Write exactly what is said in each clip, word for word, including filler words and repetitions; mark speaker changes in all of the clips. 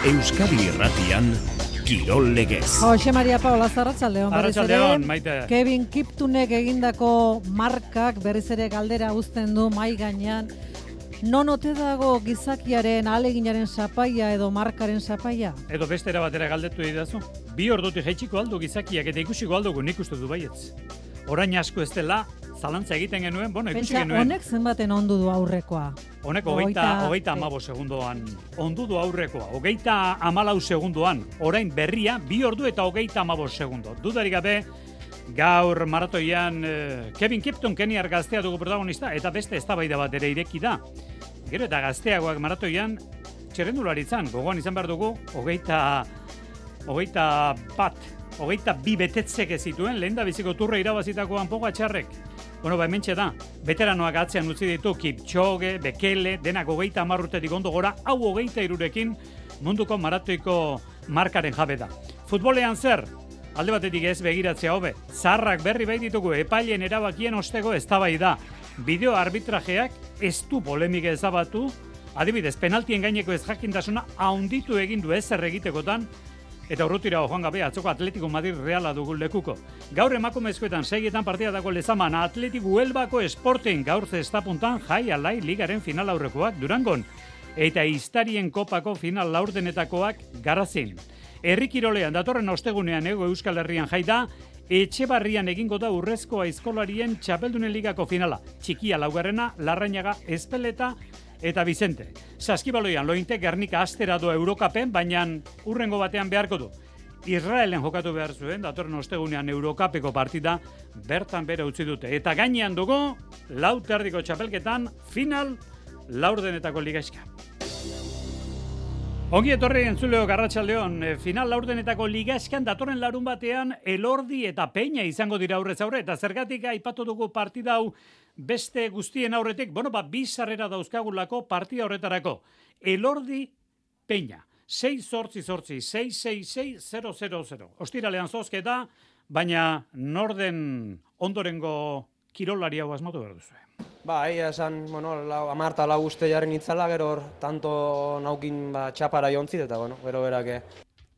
Speaker 1: Euskadi Irratian, Kirol Legez.
Speaker 2: Jose Maria Paola, arratsaldeon.
Speaker 3: Arratsaldeon, Maite.
Speaker 2: Kevin Kiptunek egindako markak berriz ere galdera uzten du mai gainean. Non ote dago gizakiaren ahaleginaren sapaia edo markaren sapaia?
Speaker 3: Edo beste era batera galdetu didazu. Bi ordutik jaitsiko aldu gizakiak eta ikusiko aldugu nik uste du baietz. Orain asko ez dela, zalantza egiten genuen, bueno, ikusi
Speaker 2: Pentsa,
Speaker 3: genuen.
Speaker 2: honek zenbaten ondu du aurrekoa?
Speaker 3: Honek hogeita, hogeita amabo segundoan ondu du aurrekoa. Hogeita amalau segundoan, orain berria, bi ordu eta hogeita amabo segundo. Dudarik gabe, gaur maratoian eh, Kevin Kipton keniar gaztea dugu protagonista, eta beste eztabaida bat ere ireki da. Gero eta gazteagoak maratoian, txerrendularitzan, gogoan izan behar dugu, hogeita, hogeita bat, hogeita bi betetzek ez zituen, lehen da biziko turre irabazitakoan Pogačarrek. Bueno, ba, hementxe da, veteranoak atzean utzi ditu, Kipchoge, Bekele, denak hogeita amarrutetik ondo gora, hau hogeita irurekin munduko maratoiko markaren jabe da. Futbolean zer? Alde batetik ez begiratzea hobe, zaharrak berri bai ditugu epailen erabakien osteko eztabaida. Bideo arbitrajeak ez du polemika ezabatu, adibidez, penaltien gaineko ez jakintasuna haunditu egin du ezer egitekotan, eta urrutira joan gabe atzoko Atletico Madrid Reala dugu lekuko. Gaur emakumezkoetan segietan partidako lezaman Atletico Huelvako Sporting gaur zestapuntan jai alai ligaren final aurrekoak Durangon, eta Iztarien kopako final laurdenetakoak Garazin. Herri kirolean datorren ostegunean Hego Euskal Herrian jai da, Etxebarrian egingo da Urrezko Aizkolarien Txapeldunen Ligako finala. Txikia laugarrena, Larrañaga, Ezpeleta eta Bizente. Saskibaloian Lointe Gernika astera doa Eurokapen, baina urrengo batean beharko du. Israelen jokatu behar zuen, datorren ostegunean Eurokapeko partida bertan bera utzi dute. Eta gainean dugu, lau terdiko txapelketan, final laurdenetako ligaizka. Ongi etorri entzuleo Garratxaldeon, final laurdenetako ligaizkan datorren larun batean Elordi eta Peña izango dira aurrez aurre, eta zergatik aipatu dugu partida hau beste guztien aurretik, bueno, ba, bi sarrera dauzkagulako partida horretarako. Elordi Peña, sei zortzi zortzi, sei sei sei zero zero zero. Ostiralean zozketa, baina norden ondorengo kirolari hau asmatu behar duzu.
Speaker 4: Ba, egia esan, bueno, lau, amarta lau uste jaren itzala, gero hor, tanto naukin ba, txapara jontzit, eta, bueno, gero berake.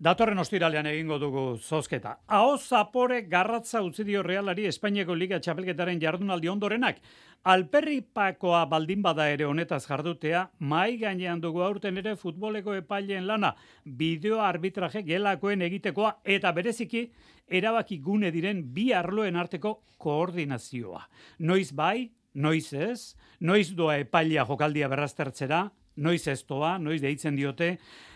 Speaker 3: Datorren ostiralean egingo dugu zozketa. Ahoz Zapore garratza utzi dio Realari Espainiako Liga txapelketaren jardunaldi ondorenak. Alperripakoa baldin bada ere honetaz jardutea, mai gainean dugu aurten ere futboleko epaileen lana, bideo arbitraje gelakoen egitekoa eta bereziki erabaki gune diren bi arloen arteko koordinazioa. Noiz bai, noiz ez, noiz doa epailea jokaldia berraztertzera, noiz ez doa, noiz deitzen diote.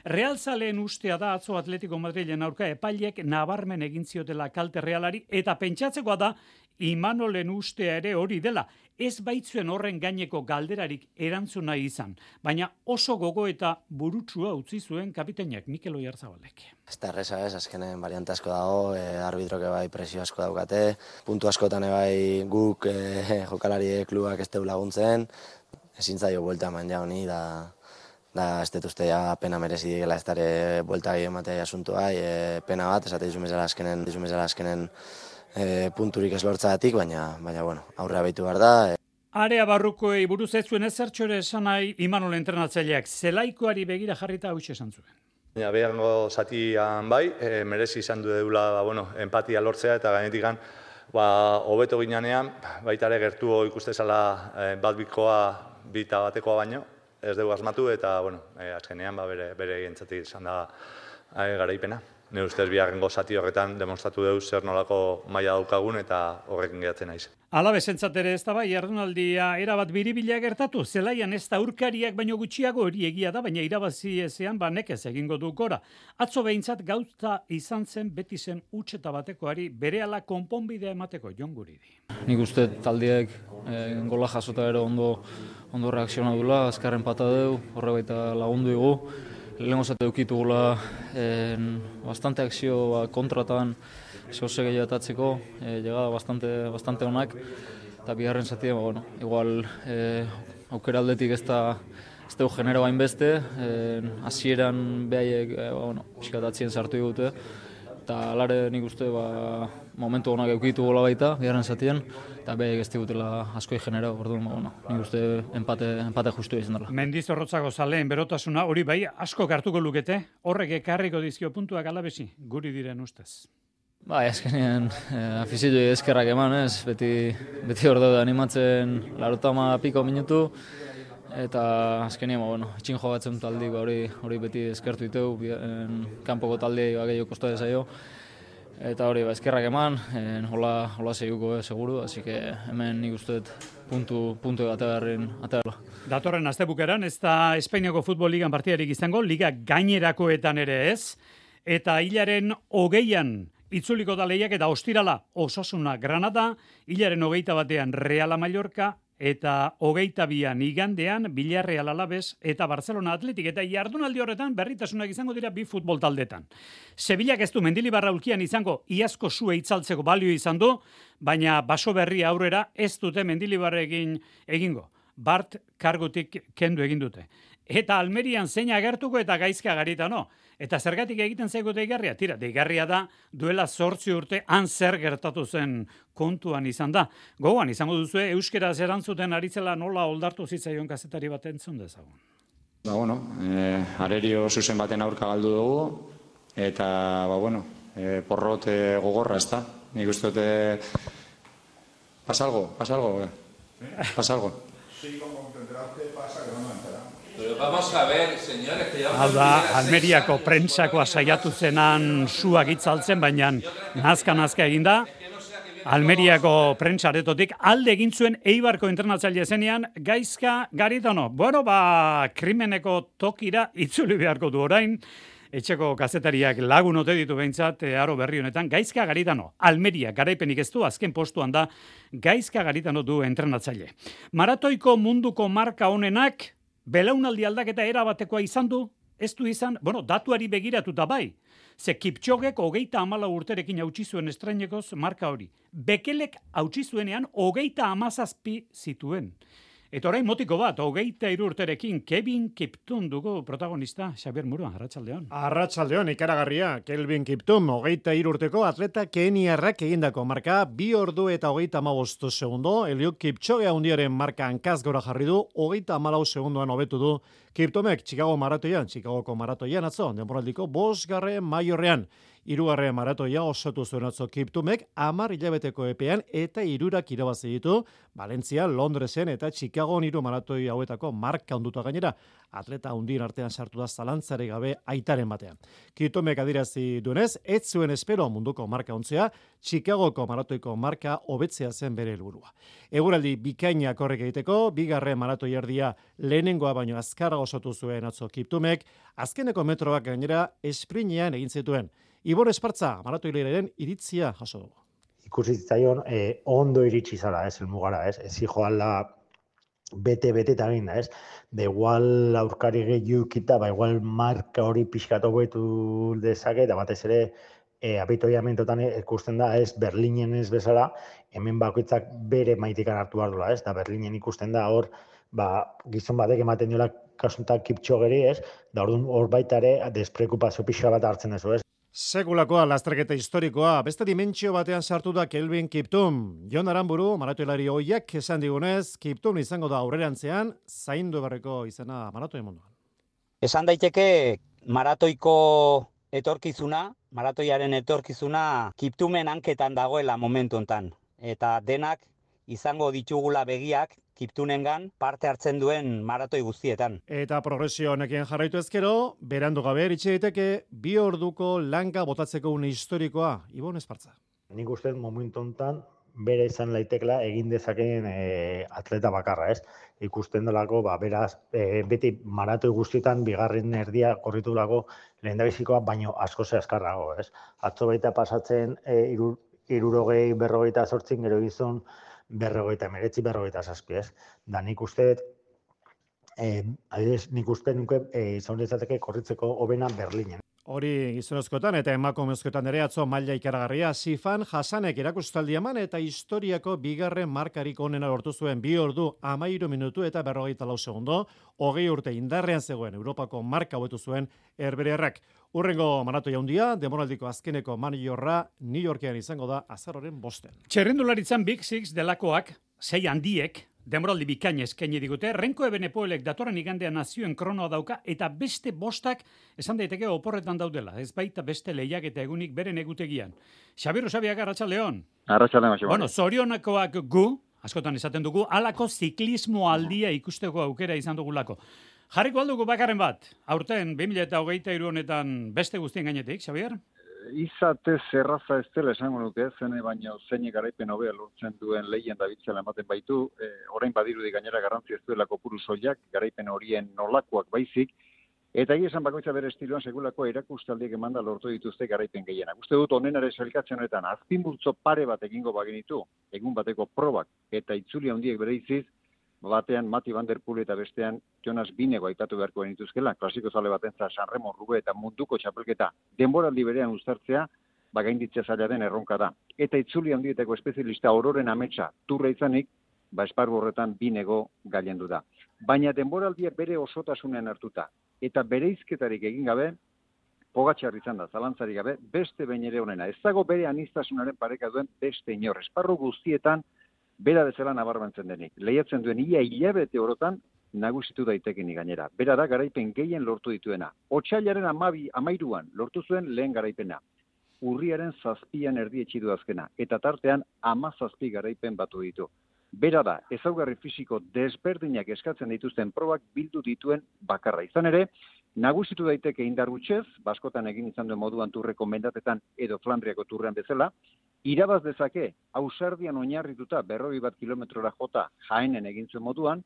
Speaker 3: Realzaleen ustea da atzo Atletico Madrilen aurka epaileek nabarmen egin ziotela kalte Realari, eta pentsatzekoa da Imanolen ustea ere hori dela. Ez baitzuen horren gaineko galderarik erantzuna izan, baina oso gogo eta burutsua utzi zuen kapitainak Mikel Oiarzabalek.
Speaker 5: Ez da erreza ez, azkenen variante asko dago, e, arbitroke bai presio asko daukate, puntu askotan bai guk e, jokalari klubak ez deu laguntzen, ezin zaio buelta eman ja honi, da, da ez dut uste ja pena merezi dela ez dara buelta gehi ematea asuntua, e, pena bat, esate dizumezela azkenen, dizumezela azkenen e, punturik ez lortzagatik, baina, baina bueno, aurrea behitu behar da. E.
Speaker 3: Area barrukoei buruz ez zuen ezertxo ere esan nahi Imanol entrenatzaileak, zelaikoari begira jarrita hau esan zuen.
Speaker 6: Ja, behango zatian bai, e, merezi izan du deula ba, bueno, empatia lortzea eta gainetikan ba, hobeto ginanean, baita ere gertu ikustezala e, bat bikoa bita batekoa baino, ez dugu asmatu eta bueno, e, azkenean ba, bere, bere egintzatik izan da e, garaipena. Ne ustez biharrengo zati horretan demostratu dugu zer nolako maila daukagun eta horrekin geratzen naiz.
Speaker 3: Alabesentzat ere ez da bai, jardunaldia erabat biribila gertatu, zelaian ez da urkariak baino gutxiago hori egia da, baina irabazi ezean ba nekez egingo du gora. Atzo behintzat gauza izan zen beti zen utxeta batekoari berehala konponbidea emateko Jon Guridi.
Speaker 7: Nik uste taldeak e, gola jasota ere ondo, ondo reakziona dula, azkarren pata deu, horre baita lagundu dugu. Lehenko zate dukitugula eh, bastante akzio ba, kontratan zehose gehiatatzeko, eh, llegada bastante, bastante onak, eta bigarren zati, ba, bueno, igual eh, aukera aldetik ez da ez dugu genero hainbeste, hasieran eh, behaiek eh, bueno, pixkatatzien sartu digute, eta alare nik uste ba, momentu honak eukitu gola baita, bigarren zatien, eta behek ez digutela askoi genera, orduan, bueno, nik uste empate, empate justu izan dela.
Speaker 3: Mendizorrotzako zaleen berotasuna, hori bai, asko hartuko lukete, horrek ekarriko dizkio puntuak alabesi, guri diren ustez.
Speaker 7: Bai, azkenean eh, afizioi eskerrak eman, ez, beti, beti hor daude animatzen larotama piko minutu, eta azkenean, bueno, etxin jogatzen taldi, ba, hori, hori beti eskertu diteu, kanpoko taldei ba, gehiago kosta dezaio, eta hori, ba, eskerrak eman, en, hola, hola zeiguko, eh, seguru, así que hemen nik uste puntu, puntu ategarren, ategarla.
Speaker 3: Datorren astebukeran, ez da Espainiako Futbol Ligan partidarik izango, liga gainerakoetan ere ez, eta hilaren hogeian itzuliko da lehiak eta ostirala Osasuna Granada, hilaren hogeita batean Reala Mallorca, eta hogeita bian igandean Villarreal Alaves eta Barcelona Atletik, eta jardunaldi horretan berritasunak izango dira bi futbol taldetan. Sevillak ez du Mendilibarra ulkian izango iazko sue itzaltzeko balio izan du, baina baso berri aurrera ez dute Mendilibarrekin egingo. Bart kargutik kendu egin dute. Eta Almerian zein agertuko eta Gaizka Garitano. Eta zergatik egiten zaigu deigarria? Tira, deigarria da duela zortzi urte han zer gertatu zen kontuan izan da. Gogoan izango duzue euskeraz erantzuten aritzela nola oldartu zitzaion kazetari bat entzun dezagun.
Speaker 8: Ba, bueno, eh, arerio zuzen baten aurka galdu dugu, eta, ba, bueno, eh, porrot eh, gogorra, ez da? Nik uste dute... Pasalgo, pasalgo, eh? Pasalgo.
Speaker 9: Sí, como entenderás que pasa, que no me entera.
Speaker 10: Pero vamos a ver, señores, que ya...
Speaker 3: Hau da, Almeriako prentsakoa saiatu zenan suak itzaltzen, baina nazka-nazka eginda. Almeriako prentsaretotik alde egin zuen Eibarko entrenatzaile zenean Gaizka Garitano. Bueno, ba, krimeneko tokira itzuli beharko du orain. Etxeko kazetariak lagun ote ditu behintzat, aro berri honetan, Gaizka Garitano, Almeria garaipenik ez du, azken postuan da, Gaizka Garitano du entrenatzaile. Maratoiko munduko marka honenak, belaunaldi aldaketa erabatekoa izan du, ez du izan, bueno, datuari begiratuta bai, ze Kipchogek hogeita amala urterekin hautsi zuen estrainekoz marka hori. Bekelek hautsi zuenean hogeita amazazpi zituen. Eta orain motiko bat, hogeita hiru urterekin Kevin Kiptum dugu protagonista, Xabier Muro, Arratsaldeon.
Speaker 11: Arratsaldeon, ikaragarria, Kelvin Kiptum, hogeita hiru urteko atleta keniarrak egindako marka, bi ordu eta hogeita hamabost segundo, Eliud Kipchoge handiaren marka hankaz gora jarri du, hogeita hamalau segundoan hobetu du Kiptumek Chicago maratoian, Chicagoko maratoian atzo, denboraldiko bosgarren maiorrean. Hirugarren maratoia osatu zuen atzo Kiptumek hamar hilabeteko epean eta hirurak irabazi ditu Valentzia, Londresen eta Chicagon hiru maratoi hauetako marka handuta gainera. Atleta handien artean sartu da zalantzari gabe aitaren batean. Kiptumek adierazi duenez, ez zuen espero munduko marka ontzea, Chicagoko maratoiko marka hobetzea zen bere helburua. Eguraldi bikainak horrek egiteko, bigarren maratoi erdia lehenengoa baino azkarra osatu zuen atzo Kiptumek, azkeneko metroak gainera esprinean egin zituen. Ibor Espartza, maratoilearen iritzia jaso dugu.
Speaker 12: Ikusi zitzaion eh, ondo iritsi zala, ez, helmugara, ez, ez joala bete-bete eta egin da, ez, da igual aurkari gehiu kita, ba igual marka hori pixkatu betu dezake, eta batez ere e, abitoiamentotan ikusten da, ez, Berlinen ez bezala, hemen bakoitzak bere maitikan hartu behar dula, ez, da Berlinen ikusten da hor, ba, gizon batek ematen diola kasuntak Kipchogeri, ez, da orduan hor baita ere desprekupazio pixka bat hartzen dezu, ez.
Speaker 11: Sekulakoa lasterketa historikoa, beste dimentsio batean sartu da Kelvin Kiptum. Jon Aramburu, maratoilari hoiak esan digunez, Kiptum izango da aurrerantzean, zaindu berreko izena maratoi munduan.
Speaker 13: Esan daiteke maratoiko etorkizuna, maratoiaren etorkizuna Kiptumen hanketan dagoela momentu hontan. Eta denak izango ditugula begiak Kiptunengan parte hartzen duen maratoi guztietan.
Speaker 11: Eta progresio honekin jarraitu ezkero, berandu gabe eritxe daiteke bi orduko langa botatzeko une historikoa, Ibon Espartza.
Speaker 12: Nik uste momentu hontan bere izan laitekela egin dezakeen e, atleta bakarra, ez? Ikusten delako, ba, beraz, e, beti maratoi guztietan bigarren erdia korritu delako lehendabizikoa, baino asko ze azkarrago, ez? Atzo baita pasatzen e, iru, irurogei berrogeita zortzin gero gizon berrogeita emeretzi, berrogeita zazpi, ez? Da nik uste, eh, adibidez, nik uste nuke eh, izan dezateke korritzeko hobena Berlinen.
Speaker 11: Hori gizonezkoetan eta emakumezkoetan ere atzo maila ikaragarria Sifan Hasanek erakustaldi eman eta historiako bigarren markarik onena lortu zuen bi ordu hamairu minutu eta berrogeita lau segundo, hogei urte indarrean zegoen Europako marka hobetu zuen Herbeherrak. Urrengo maratoi handia, denboraldiko azkeneko maniorra New Yorkean izango da azaroren bosten.
Speaker 3: Txerrendularitzan Big Six delakoak, sei handiek, denboraldi bikain eskaini digute, Renko Ebenepoelek datorren igandean nazioen kronoa dauka, eta beste bostak esan daiteke oporretan daudela, ez baita beste lehiak eta egunik beren egutegian. Xabier Usabiaga, arratsaldeon.
Speaker 14: Arratsaldeon, Xabier.
Speaker 3: Bueno, zorionakoak gu, askotan esaten dugu, halako ziklismo aldia ikusteko aukera izan dugulako. Jarriko aldugu bakarren bat, aurten bi mila hogeita hiru honetan beste guztien gainetik, Xabier?
Speaker 14: Izatez erraza ez dela esango nuke, zene baina zeine garaipen hobea lortzen duen lehien da bitzela ematen baitu, e, orain badirudi gainera garrantzi ez duela kopuru soilak, garaipen horien nolakoak baizik, eta egia esan bakoitza bere estiloan segulako erakustaldiek emanda lortu dituzte garaipen gehienak. Uste dut onenare sailkatzen honetan azpimultzo pare bat egingo bagenitu, egun bateko probak eta itzuli handiek bereiziz, batean Mati Van Der Poel eta bestean Jonas Binego aipatu beharko genituzkela, klasiko zale batenza Sanremo Rube eta munduko txapelketa denboraldi berean uztartzea, bagainditzea zaila den erronka da. Eta itzuli handietako espezialista Ororen ametsa turra izanik, ba esparru horretan Binego gailendu da. Baina denboraldia bere osotasunean hartuta eta bereizketarik egin gabe, Pogačar izan da, zalantzarik gabe, beste behin ere honena. Ez dago bere anistasunaren pareka duen beste inor. Esparru guztietan bera bezala nabarmentzen denik. Lehiatzen duen ia hilabete orotan nagusitu daitekenik gainera. Bera da garaipen gehien lortu dituena. Otsailaren amabi, amairuan lortu zuen lehen garaipena. Urriaren zazpian erdietsi du azkena. Eta tartean ama zazpi garaipen batu ditu. Bera da, ezaugarri fisiko desberdinak eskatzen dituzten probak bildu dituen bakarra. Izan ere, nagusitu daiteke indar gutxez, baskotan egin izan duen moduan turreko mendatetan edo Flandriako turrean bezala, irabaz dezake, ausardian oinarrituta berroi bat kilometrora jota Jaenen egin zuen moduan,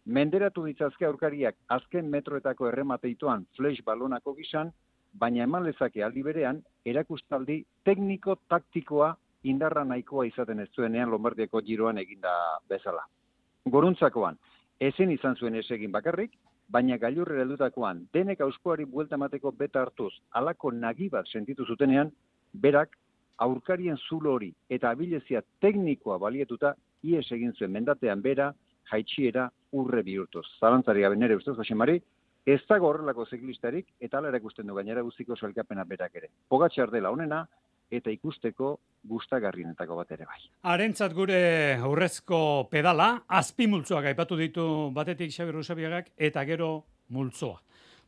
Speaker 14: menderatu ditzazke aurkariak azken metroetako erremateituan flash balonako gizan, baina eman lezake aldi berean, erakustaldi tekniko-taktikoa indarra nahikoa izaten ez zuenean Lombardiako giroan eginda bezala. Goruntzakoan, ezin izan zuen ez egin bakarrik, baina gailurrera heldutakoan denek auspoari buelta emateko beta hartuz halako nagi bat sentitu zutenean, berak aurkarien zulo hori eta abilezia teknikoa balietuta ies egin zuen mendatean bera, jaitsiera urre bihurtuz. Zalantzari gabe nere ustez, Josemari, ez dago horrelako ziklistarik eta hala erakusten du gainera guztiko sailkapena berak ere. Pogačar dela honena eta ikusteko gustagarrienetako bat ere bai.
Speaker 3: Harentzat gure aurrezko pedala, azpimultzoak aipatu ditu batetik Xabier Usabiagak eta gero multzoa.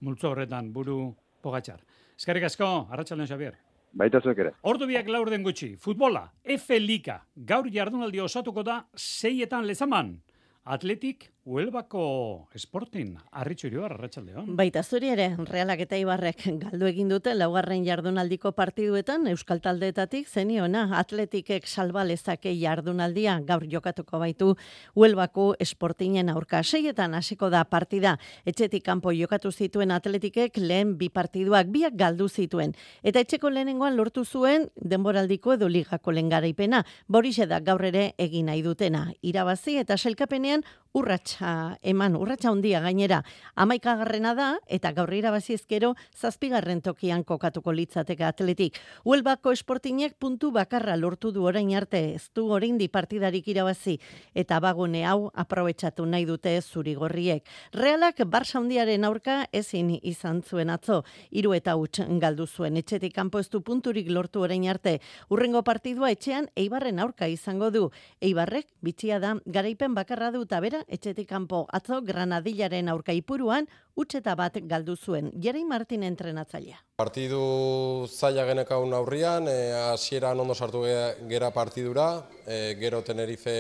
Speaker 3: Multzo horretan buru Pogačar. Eskerrik asko, arratsaldeon Xabier.
Speaker 14: Baita zuek ere.
Speaker 3: Ordu biak laur den gutxi. Futbola, F Liga. Gaur jardunaldi osatuko da seietan Lezaman. Atletik Huelvako Sporting, Arritxu Iribar, arratsaldeon.
Speaker 15: Baita zuri ere, Realak eta Ibarrek galdu egin dute laugarren jardunaldiko partiduetan euskal taldeetatik zeniona Atletikek salba lezake jardunaldia gaur jokatuko baitu Huelvako Sportingen aurka. Seietan hasiko da partida. Etxetik kanpo jokatu zituen Atletikek lehen bi partiduak biak galdu zituen. Eta etxeko lehenengoan lortu zuen denboraldiko edo ligako lehen garaipena. Borixe da gaur ere egin nahi dutena. Irabazi eta sailkapenean urratsa eman, urratsa handia gainera. Hamaikagarrena da eta gaur irabazi ezkero zazpigarren tokian kokatuko litzateke Atletik. Huelvako Sportingek puntu bakarra lortu du orain arte, ez du oraindik partidarik irabazi eta bagune hau aprobetxatu nahi dute zurigorriek. Realak Barça handiaren aurka ezin izan zuen atzo, hiru eta huts galdu zuen. Etxetik kanpo ez du punturik lortu orain arte. Urrengo partidua etxean Eibarren aurka izango du. Eibarrek bitxia da garaipen bakarra du eta bera etxetik kanpo atzo Granadillaren aurka Ipuruan utxeta bat galdu zuen. Jerei Martin entrenatzailea.
Speaker 16: Partidu zaila genekaun aurrian, hasieran ondo sartu gera partidura, e, gero Tenerife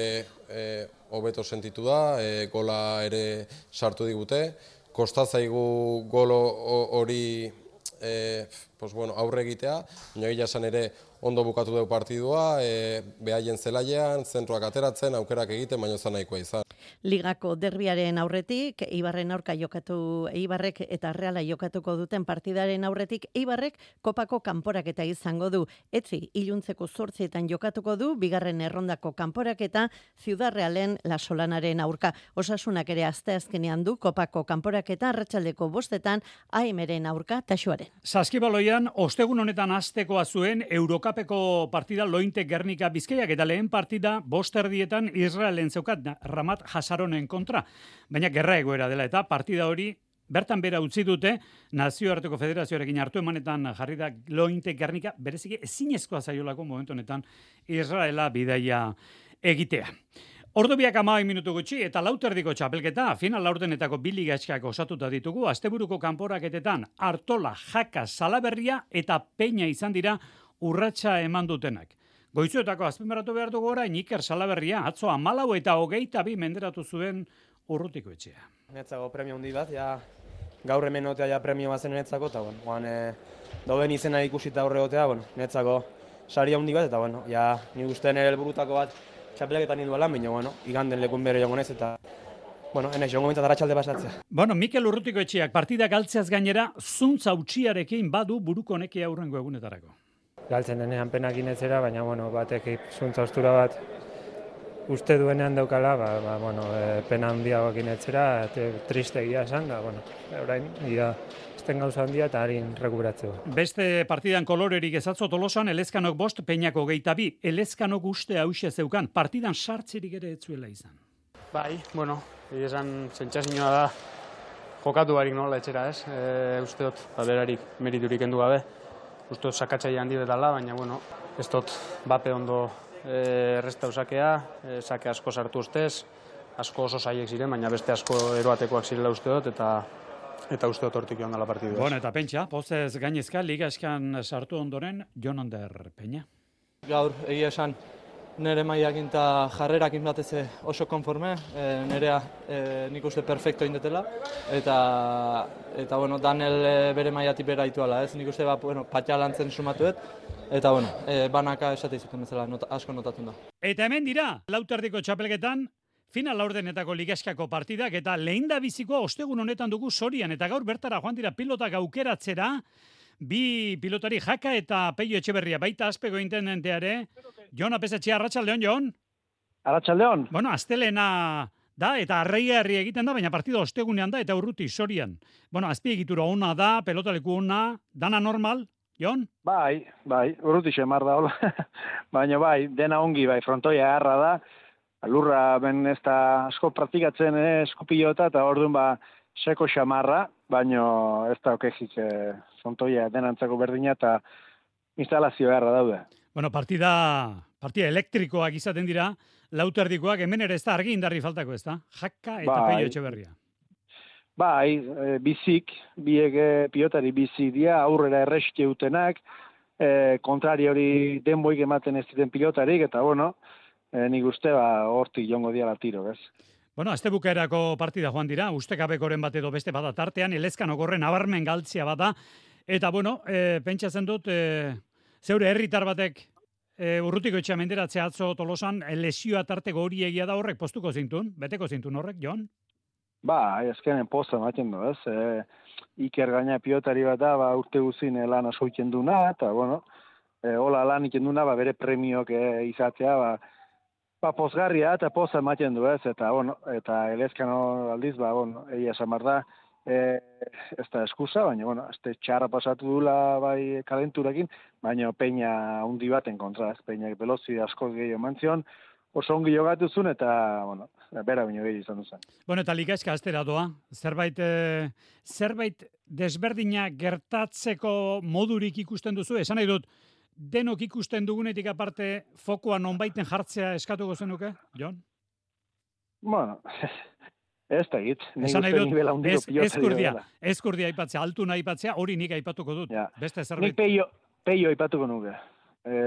Speaker 16: e, hobeto sentitu da, e, gola ere sartu digute. Kostatzaigu golo hori e, pues bueno, aurre egitea, baina egia esan ere ondo bukatu dugu partidua, e, behaien zelaian, zentruak ateratzen, aukerak egiten, baino zan nahikoa izan.
Speaker 15: Ligako derbiaren aurretik, Eibarren aurka jokatu, Eibarrek eta Reala jokatuko duten partidaren aurretik, Eibarrek kopako kanporaketa izango du. Etzi, iluntzeko zortzietan jokatuko du, bigarren errondako kanporaketa, Ciudad Realen Lasolanaren aurka. Osasunak ere asteazkenean du kopako kanporaketa, arratsaldeko bostetan, A M-ren aurka, Taxuaren.
Speaker 3: Saskibaloian, ostegun honetan hastekoa zuen Eurokapeko partida Lointe Gernika Bizkaiak eta lehen partida bost erdietan Israelen zeukat Ramat Hasaronen kontra. Baina gerra egoera dela eta partida hori bertan bera utzi dute Nazioarteko Federazioarekin hartu emanetan jarri da Lointe Gernika bereziki ezinezkoa zaiolako momentu honetan Israela bidaia egitea. Ordu biak hamabi minutu gutxi eta lauterdiko txapelketa, final laurdenetako bi ligaskak osatuta ditugu, asteburuko kanporaketetan Artola, Jaka, Salaberria eta Peña izan dira urratsa eman dutenak. Goizuetako azpimarratu behar dugu orain Iker Salaberria, atzo hamalau eta hogeita bi menderatu zuen Urrutiko etxea.
Speaker 4: Netzako premio handi bat, ja, gaur hemen otea ja premio bat zen netzako, eta bueno, guan, e, doen izena ikusita aurre otea, bueno, netzako sari handi bat, eta bueno, ja, ni uste nire helburutako bat txapelaketan induela, baina, bueno, iganden lekun bere jongo nez, eta, bueno, enez, jongo bintzat arratsalde pasatzea.
Speaker 3: Bueno, Mikel Urrutiko etxeak partida galtzeaz gainera, zuntza utxiarekin badu buruko nekia aurrengo egunetarako.
Speaker 17: Galtzen denean penak inetzera, baina, bueno, batek zuntza ostura bat uste duenean daukala, ba, ba, bueno, e, pena handiagoak inetzera, eta triste egia esan, da, bueno, orain, ia, ezten gauza handia eta harin rekuperatzeko.
Speaker 3: Beste partidan kolorerik ezatzo Tolosan, Elezkanok bost, Peñako geita bi, Elezkanok uste hause zeukan, partidan sartzerik ere etzuela izan.
Speaker 18: Bai, bueno, egia esan sentsazioa da, jokatu barik nola etxera, ez? E, uste dut, ba, berarik meriturik endu gabe, uste dut sakatzaia handi betala, baina, bueno, ez dut bape ondo e, erresta usakea, e, sake asko sartu ustez, asko oso saiek ziren, baina beste asko eroatekoak zirela uste dut, eta eta uste dut hortik joan dela partidu.
Speaker 3: Bueno, eta Pentsa, pozez gainezka, ligaskan sartu ondoren, Jon Ander Peña.
Speaker 19: Gaur, egia esan, nire maiakin eta jarrerakin batez oso konforme, e, nirea e, nik uste perfecto indetela, eta, eta bueno, Daniel bere maiatik bera ituala, ez? Nik uste, ba, bueno, patxalantzen sumatuet, eta bueno, e, banaka esate izuten bezala, not, asko notatun da.
Speaker 3: Eta hemen dira, lauterdiko txapelketan, final laurdenetako ligaskako partidak eta lehinda bizikoa ostegun honetan dugu Sorian eta gaur bertara joan dira pilotak aukeratzera, bi pilotari Jaka eta Peio Etxeberria, baita Azpego intendenteare. Jon Apesetxea, arratsaldeon, Jon?
Speaker 20: Arratsaldeon.
Speaker 3: Bueno, astelena da eta arraigarri egiten da, baina partida ostegunean da eta Urruti Sorian. Bueno, azpiegitura ona da, pelotaleku ona, dana normal, Jon?
Speaker 20: Bai, bai, Urruti xemar da, hola. Baina bai, dena ongi, bai, frontoia harra da, lurra ben ez da asko praktikatzen eh, eskupilota eta orduan ba seko xamarra, baino ez da okejik eh, frontoia denantzako berdina eta instalazio beharra daude.
Speaker 3: Bueno, partida, partida elektrikoak izaten dira, lauterdikoak, hemen ere ez da argi indarri faltako, ez da? Jaka eta bai, Peio Etxeberria.
Speaker 20: Bai, e, bizik, biek e, pilotari bizik dira, aurrera erreske utenak, e, kontrari hori denboik ematen ez diren pilotarik, eta bueno, E, nik uste, ba, hortik jongo diala tiro, ez?
Speaker 3: Bueno, azte bukaerako partida joan dira, ustekabekoren bat edo beste bada tartean, Elezkanok horren abarmen galtzia bada, eta bueno, e, pentsatzen dut, e, zeure herritar batek e, Urrutiko etxea menderatzea atzo Tolosan, lesioa tarteko hori egia da horrek postuko zintun, beteko zintun horrek, Jon?
Speaker 20: Ba, azkenen posta ematen du, ez? E, Iker gaina pilotari bat da, ba, urte guzin lan asko iken duna, eta bueno, e, hola lan iken duna, ba, bere premiok e, izatea, ba, Ba, pozgarria eta poza ematen du ez, eta, bueno, eta Elezkano aldiz, ba, bueno, egia samar da, e, ez da eskusa, baina, bueno, ez txarra pasatu dula, bai, kalenturakin, baina Peña hundi baten kontra, ez, Peña velozi asko gehiago mantzion, oso ongi jogatu zuen, eta, bueno, bera baino gehiago izan duzen.
Speaker 3: Bueno, eta ligaska astera doa, zerbait, e, zerbait desberdina gertatzeko modurik ikusten duzu, esan nahi dut, denok ikusten dugunetik aparte fokoa nonbaiten jartzea eskatuko zenuke, Jon?
Speaker 20: Bueno, ez da git.
Speaker 3: Esan nahi dut, ez, ezkurdia, ezkurdia aipatzea, altu nahi aipatzea, hori nik aipatuko dut. Ja. Beste zerbait.
Speaker 20: Nik peio, peio aipatuko nuke. E,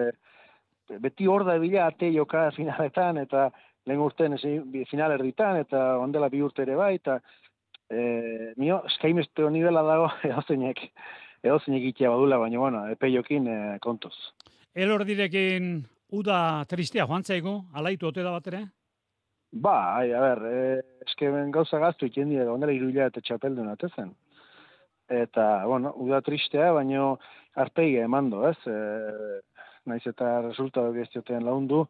Speaker 20: beti hor da bila ate joka finaletan, eta lehen urtean final erditan, eta ondela bi urte ere bai, eta e, nio, eskaimesteo nivela dago, edo zeinek. Edo zeinek itea badula, baina, bueno, peiokin e, kontuz.
Speaker 3: Elordirekin uda tristea joan zaigu, alaitu ote da bat ere?
Speaker 20: Ba, ai, a ber, eh, eske ben gauza gaztu iken dira, ondela iruila eta txapeldun atezen. Eta, bueno, uda tristea, baino arpegia emando, ez? E, naiz eta resultatu geztioten laundu,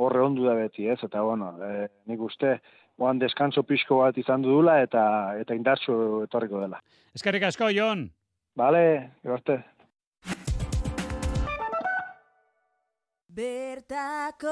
Speaker 20: horre ondu da beti, ez? Eta, bueno, e, nik uste, oan deskanso pixko bat izan dudula eta eta indartsu etorriko dela.
Speaker 3: Eskerrik asko, Jon.
Speaker 20: Bale, garte.
Speaker 21: Bertako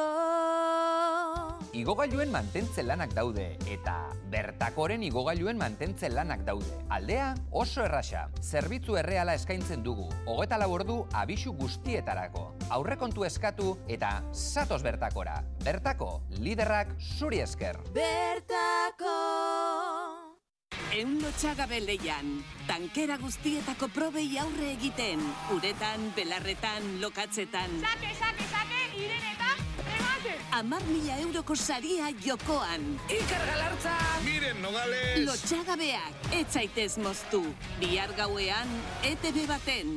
Speaker 22: Igogailuen mantentze lanak daude eta Bertakoren igogailuen mantentze lanak daude. Aldea oso erraxa. Zerbitzu erreala eskaintzen dugu. Hogeita lau ordu abisu guztietarako. Aurrekontu eskatu eta zatoz Bertakora. Bertako, liderrak zuri esker.
Speaker 21: Bertako Eun lotxagabe leian, tankera guztietako probei aurre egiten, uretan, belarretan, lokatzetan.
Speaker 23: Sake, sake, sake, irenetan, remate!
Speaker 21: Amar mila euroko saria jokoan.
Speaker 23: Iker Galartza!
Speaker 21: Miren Nogales! Lotxagabeak, etzaitez moztu. Bihar gauean, E T B baten.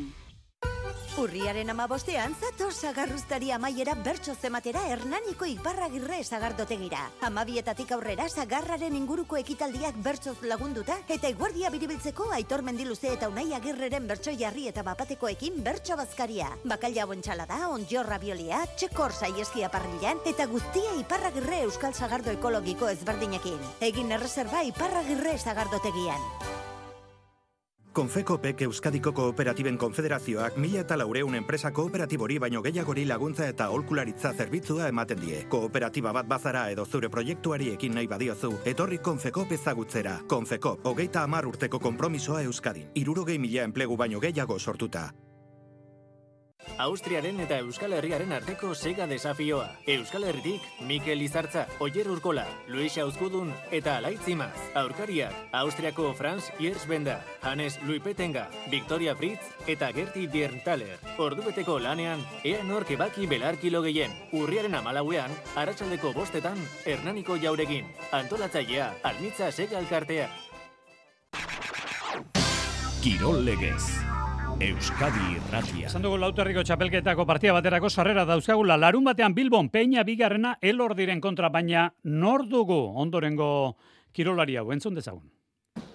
Speaker 24: Urriaren amabostean, zatoz sagarruztari amaiera bertso zematera Hernaniko Iparragirre sagardotegira. Amabietatik aurrera sagarraren inguruko ekitaldiak bertsoz lagunduta, eta eguardia biribiltzeko Aitor Mendiluze eta Unai Agirreren bertso jarri eta bapatekoekin bertso bazkaria. Bakaila bontxalada, onjorra biolia, txekor saieskia parrilan, eta guztia Iparragirre Euskal Sagardo Ekologiko ezberdinekin. Egin erreserba Iparragirre sagardotegian.
Speaker 25: Konfekopek Euskadiko Kooperatiben Konfederazioak mila eta laureun enpresa kooperatibori baino gehiagori laguntza eta aholkularitza zerbitzua ematen die. Kooperatiba bat bazara edo zure proiektuari ekin nahi badiozu, etorri Konfekop ezagutzera. Konfekop, hogeita hamar urteko konpromisoa Euskadin. Hirurogei mila enplegu baino gehiago sortuta.
Speaker 26: Austriaren eta Euskal Herriaren arteko sega desafioa. Euskal Herritik, Mikel Izartza, Oier Urkola, Luis Auskudun eta Alaitzimaz. Aurkariak, Austriako Franz Yersbenda, Hannes Luipetenga, Victoria Fritz eta Gerti Bierntaler. Ordubeteko lanean, ea nork ebaki belarkilo gehien. Urriaren amalauean, arratsaldeko bostetan, Hernaniko Jauregin. Antolatzailea, Almitza Sega Elkartea.
Speaker 1: Kirol Legez. Euskadi Irratia.
Speaker 3: Esan dugu Lauterriko txapelketako partida baterako sarrera dauzkagula. Larun batean Bilbon Peña bigarrena Elordiren kontra, baina nor dugu ondorengo kirolari hau, entzun dezagun.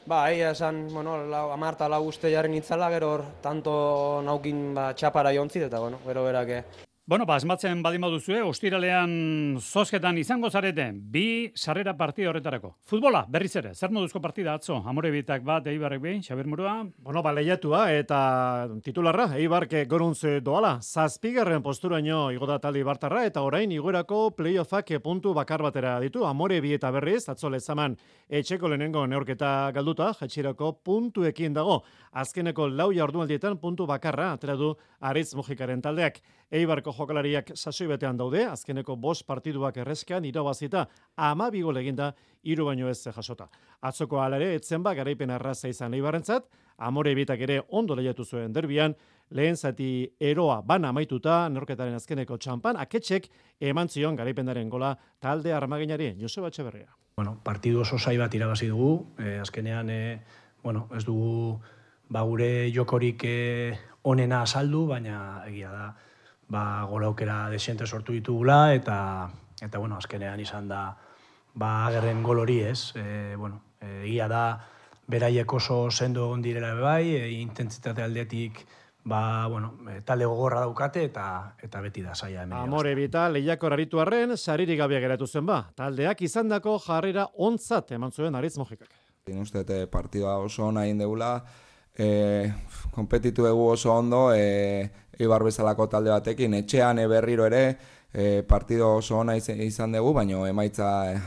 Speaker 4: Ba, egia esan, bueno, amarta lau uste jarren itzala, gero hor, tanto naukin ba, txapara jontzit, eta, bueno, gero berak.
Speaker 3: Bueno, ba, asmatzen badin baduzue, ostiralean zozketan izango zarete, bi sarrera partida horretarako. Futbola, berriz ere, zer moduzko partida atzo? Amorebitak bat, Eibarrek behin, Xabier Murua?
Speaker 11: Bueno, ba, lehiatua eta titularra, Eibark goruntz doala, zazpigarren posturaino igo da talde Ibartarra, eta orain igoerako playoffak puntu bakar batera ditu. Amorebi eta berriz, atzo lezaman etxeko lehenengo neorketa galduta, jatxirako puntuekin dago. Azkeneko lau jardunaldietan puntu bakarra atera du Aritz Mujikaren taldeak. Eibarko jokalariak sasoi betean daude, azkeneko bost partiduak errezkean irabazita ama bigol eginda hiru baino ez jasota. Atzoko alare etzen ba garaipen arraza izan Eibarrentzat, Amorebitak ere ondo lehiatu zuen derbian, lehen zati eroa bana amaituta, neorketaren azkeneko txampan, aketxek eman zion garaipenaren gola talde armaginari, Joseba Etxeberria.
Speaker 27: Bueno, partidu oso zai bat irabazi dugu, eh, azkenean eh, bueno, ez dugu ba, gure jokorik eh, onena azaldu, baina egia da, ba, gola aukera desiente sortu ditugula, eta, eta bueno, azkenean izan da ba, agerren gol hori ez. E, bueno, e, egia da, beraiek oso sendo egon direla bai, e, intentsitate aldetik ba, bueno, e, talde gogorra daukate, eta eta beti da saia hemen.
Speaker 11: Amorebita lehiakor aritu arren, saririk gabea geratu zen ba. Taldeak izandako jarrera ontzat eman zuen Aritz Mujikak.
Speaker 28: Uste, partida oso ona egin degula, e, kompetitu egu oso ondo, e, Eibar bezalako talde batekin, etxean e, berriro ere, e, partido oso ona izan dugu, baina emaitza e,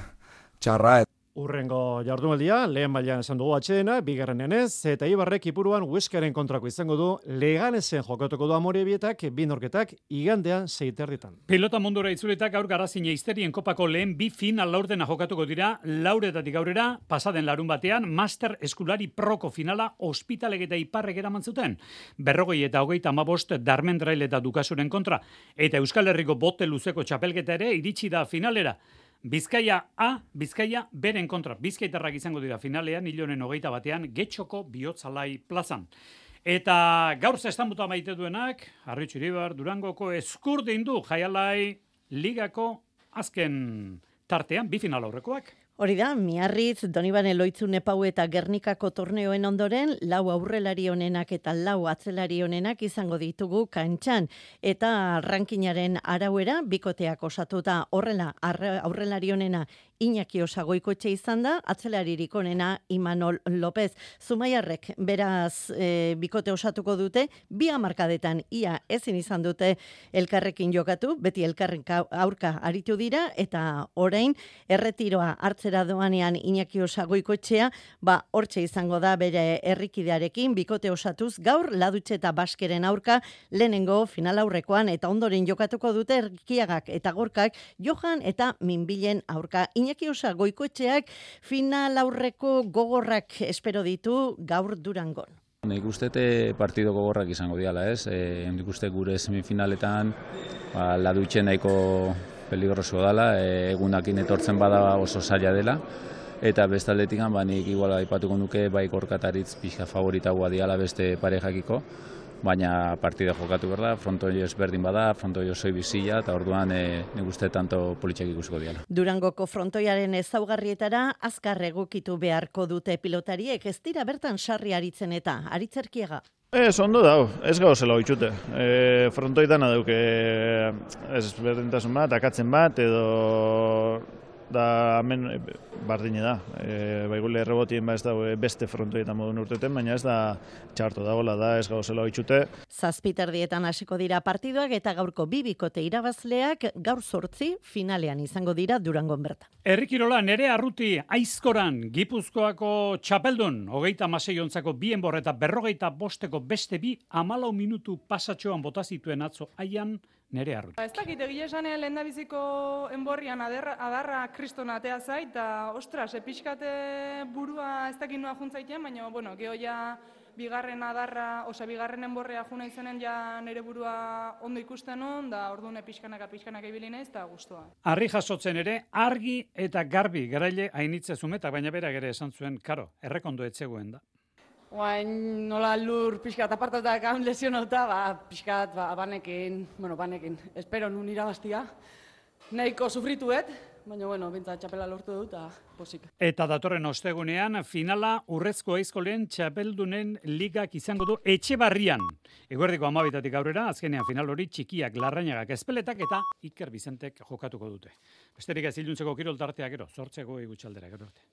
Speaker 28: txarra.
Speaker 11: Urrengo jardunaldia, lehen bailan esan dugu atxedena, bigarrenean ez, eta Eibarrek ipuruan Hueskaren kontrako izango du, Leganesen jokatuko du Amorebietak, bi norketak, igandean seiterditan.
Speaker 3: Pilota mundura itzulitak gaur Garazina Izterien kopako lehen bi final laurdena jokatuko dira, lauretatik aurrera, pasaden larun batean, Master Eskulari Proko finala Ospitaleg eta Iparrek eraman zuten. Berrogei eta hogeita hamabost Darmendrail eta Dukasuren kontra, eta Euskal Herriko bote luzeko txapelketa ere iritsi da finalera. Bizkaia A, Bizkaia beren kontra. Bizkaitarrak izango dira finalean, hilonen hogeita batean, Getxoko Bihotzalai plazan. Eta gaur zestamuta maite duenak, Arritxu Iribar, Durangoko Eskurdin du Jaialai Ligako azken tartean, bi final aurrekoak.
Speaker 15: Hori da, Miarritz, Donibane Loitzu Nepau eta Gernikako torneoen ondoren, lau aurrelari honenak eta lau atzelari honenak izango ditugu kantxan. Eta rankinaren arauera, bikoteak osatuta horrela aurrelari honena Iñaki Osagoikoetxe izan da, atzelaririk onena Imanol López. Zumaiarrek beraz e, bikote osatuko dute, bi hamarkadetan ia ezin izan dute elkarrekin jokatu, beti elkarren aurka aritu dira, eta orain erretiroa hartzera doanean Iñaki Osagoikoetxea, ba hortxe izango da bere herrikidearekin, bikote osatuz, gaur Ladutxe eta Baskeren aurka lehenengo final aurrekoan, eta ondoren jokatuko dute Erkiagak eta Gorkak, Johan eta Minbilen aurka. Iñaki Osagoikoetxeak final aurreko gogorrak espero ditu gaur Durangon.
Speaker 2: Nik uste partido gogorrak izango diala, ez? E, nik uste gure semifinaletan ba, Ladutxe nahiko peligroso dela, e, egunakin etortzen bada oso zaila dela, eta bestaldetik ba, nik igual aipatuko nuke bai Gorkataritz pixka favoritagoa diala beste parejakiko, baina partida jokatu behar da, frontoi ezberdin bada, frontoi osoi bizila, eta orduan e, nik uste tanto politxak ikusiko diala.
Speaker 15: Durangoko frontoiaren ezaugarrietara azkar egokitu beharko dute pilotariek, ez dira bertan sarri aritzen eta aritzerkiega.
Speaker 5: Ez, ondo dau, ez gauzela oitxute. E, frontoitan aduke ez berdintasun bat, akatzen bat, edo da hemen bardine da. E, baigule errebotien ba ez da beste frontoietan modun urteten, baina ez da txarto dagoela da, ez gauzela oitxute.
Speaker 15: Zazpiterdietan hasiko dira partiduak eta gaurko bi bikote irabazleak gaur zortzi finalean izango dira Durangon bertan.
Speaker 3: Herrikirola Nerea Arruti Aizkoran Gipuzkoako txapeldun, hogeita hamasei ontzako bi enbor eta berrogeita bosteko beste bi hamalau minutu pasatxoan bota zituen atzo haian Nerea Arruti.
Speaker 6: Ez dakit egia esan lehen da biziko enborrian adarra, adarra kriston atea zait, eta ostras, epixkate burua ez dakit noa juntzaitean, baina, bueno, geho ja bigarren adarra, osa bigarren enborrea juna izenen ja nire burua ondo ikusten hon, da orduan epixkanaka pixkanaka ibili naiz, eta guztua.
Speaker 3: Arri jasotzen ere, argi eta garbi garaile hainitze zumetak, baina berak ere esan zuen, karo, errekondo etzegoen da.
Speaker 7: Oain nola lur pixkat apartatak haun lesionauta, ba, pixkat ba, banekin, bueno, banekin, espero nun irabaztia. Nahiko sufrituet, baina, bueno, bintzat txapela lortu dut, eta posik.
Speaker 3: Eta datorren ostegunean, finala Urrezko Aizkolen txapeldunen ligak izango du Etxebarrian. Eguerdiko amabitatik aurrera, azkenean final hori Txikiak, Larrañagak, Ezpeletak eta Iker Bizentek jokatuko dute. Besterik ez iluntzeko kirol tartea gero, zortzeko igutxaldera gero arte.